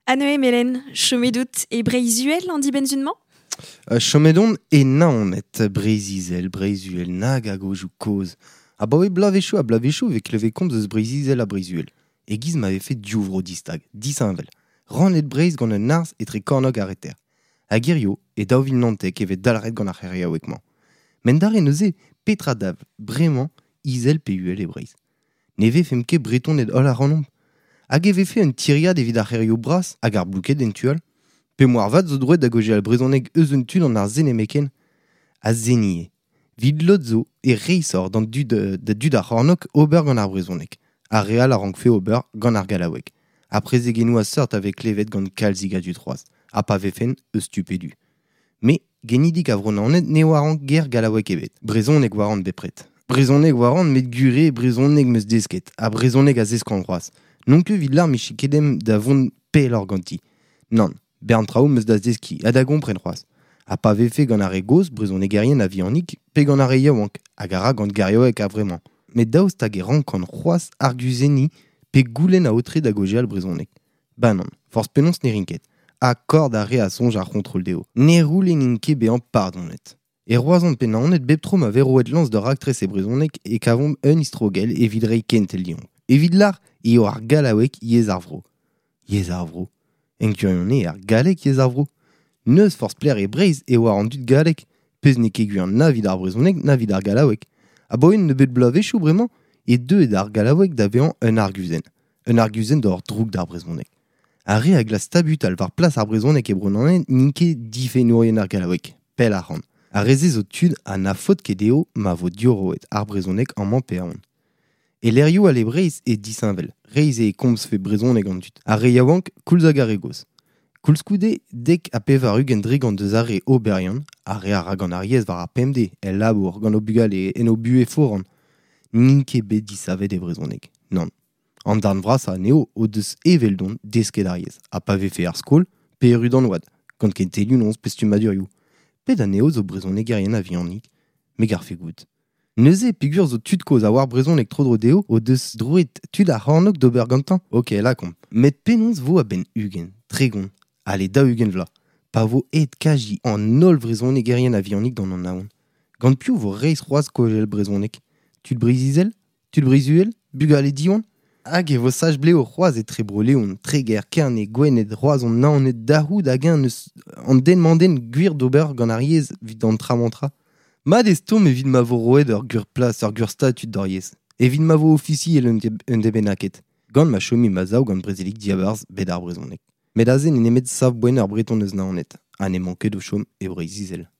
Anne Melen, chomet out e Breizh-Uhel an dibenn-sun-mañ? Chomet on e Naoned, Breizh-Izel, Breizh-Uhel, nag a gaozioù kozh. Abaoe bloavezhioù ha bloavezhioù e vez klevet komz eus Breizh-Izel ha Breizh-Uhel. E-giz ma vefe div vro distag, disheñvel. Rannet Breizh gant un harz etre kornôg ha reter. Hag hirio, e 2019 e vez dalc'het gant ar c'heriaoueg-mañ. Met dare neuze, petra dav bremañ izel pe uhel e Breizh? Ne vefemp ket Bretoned holl ac'hanomp? Hag e vefe un tiriad evit ar c'hêrioù bras hag ar blouked en tu all? Pe moarvat zo droed da gaozeal brezhoneg eus un tu d'an ar-se nemetken? Ha se ivez. Evit lod zo e reishoc'h d'an dud da dud ar c'hornôg ober gant ar brezhoneg. Ar re all a rankfe ober gant ar gallaoueg. Ha prezegennoù a seurt a vez klevet gant kalzik a dud c'hoazh, ha pa vefen eus tu pe du. Me, genidik a Vro-Naoned, ne oaran ger gallaoueg ebet. Brezhoneg 'oaran bepred. Brezhoneg 'oaran met gure brezhoneg 'm eus desket, ha brezhoneg a zeskan c'hoazh. N'on ket evit lâr 'mije ket ezhomm da vont pelloc'h ganti. Nann, bern traoù 'm eus da zeskiñ ha da gompren c'hoazh. Ha pa vefe gant ar re gozh, brezhonegerien a-vihanik, pe gant ar re yaouank, hag a ra gant gerioù a-vremañ. Met daoust hag e rankan c'hoazh arguzenniñ pe goulenn aotre da gaozeal brezhoneg? Ba nann, forzh penaos ne rin ket. Ha kord ar re a soñj ar c'hontrol dezho. Ne c'houlennin ket bezañ pardonet. E Roazhon pe Naoned bep tro ma vez roet lañs d'ur raktres e brezhoneg e kavomp un istrogell evit reiñ kentel deomp. Evit lâr eo ar gallaoueg yezh ar vro. Yezh ar vro. En gwirionez eo ar galleg yezh ar vro. N'eus forzh pelec'h e Breizh e oar an dud galleg, pezh n'eo ket gwir na evit ar brezhoneg na evit ar gallaoueg. Abaoe un nebeud bloavezhioù bremañ eo deuet ar gallaoueg da vezañ un arguzenn. Un arguzenn d'ober droug d'ar brezhoneg. Ar re a glask tabutal war plas ar brezhoneg e Bro-Naoned n'int ket difennourien ar gallaoueg, pell ac'hann. Ar re-se zo tud ha na faot ket dezho ma vo diorroet ar brezhoneg amañ pe ahont. E lec'hioù all e Breizh eo disheñvel, reizh eo e komzfe brezhoneg an dud, ar re yaouank koulz hag ar re gozh. Koulskoude, 90% deus ar re oberiant, ar re a ra gant ar yezh war ar pemdez, el labour, gant o bugale, en o buhez foran, n'int ket bet disavet e brezhoneg. Nann. An darn vrasañ anezho o deus eveldon desket ar yezh, ha pa vefe er skol pe erru d'an oad, gant kentelioù noz pe stummadurioù. Pet anezho zo brezhonegerien a-vihanik? Me 'garfe goût. Neuze, peogwir zo tud kozh a oar brezhoneg tro-dro dezho o deus droed tud ar c'hornôg d'ober gantañ? Ok, lakaomp. Met penaos 'vo a-benn 20, 30, ale 40 vloaz, pa vo aet kazi an holl vrezhonegerien a-vihanik d'an Anaon? Gant piv 'vo reizh c'hoazh kaozeal brezhoneg? Tud Breizh-Izel? Tud Breizh-Uhel? Bugale Diwan? Hag e vo sach-blev c'hoazh etre Bro-Leon, Treger, Kerne, Gwened, Roazhon, Naoned, da c'hoût hag-eñ n'eus an den-mañ-den gwir d'ober gant ar yezh evit an tra-mañ-tra. Mat eo stourm evit ma vo roet ur gwir plas, ur gwir statud d'hor yezh, evit ma vo ofisiel un deiz bennaket, gant ma chomimp a-sav gant brezelig diabarzh bed ar brezhoneg. Met aze n'eo nemet sav-boent ur Breton eus Naoned, ha n'emañ ket o chom e Breizh-Izel.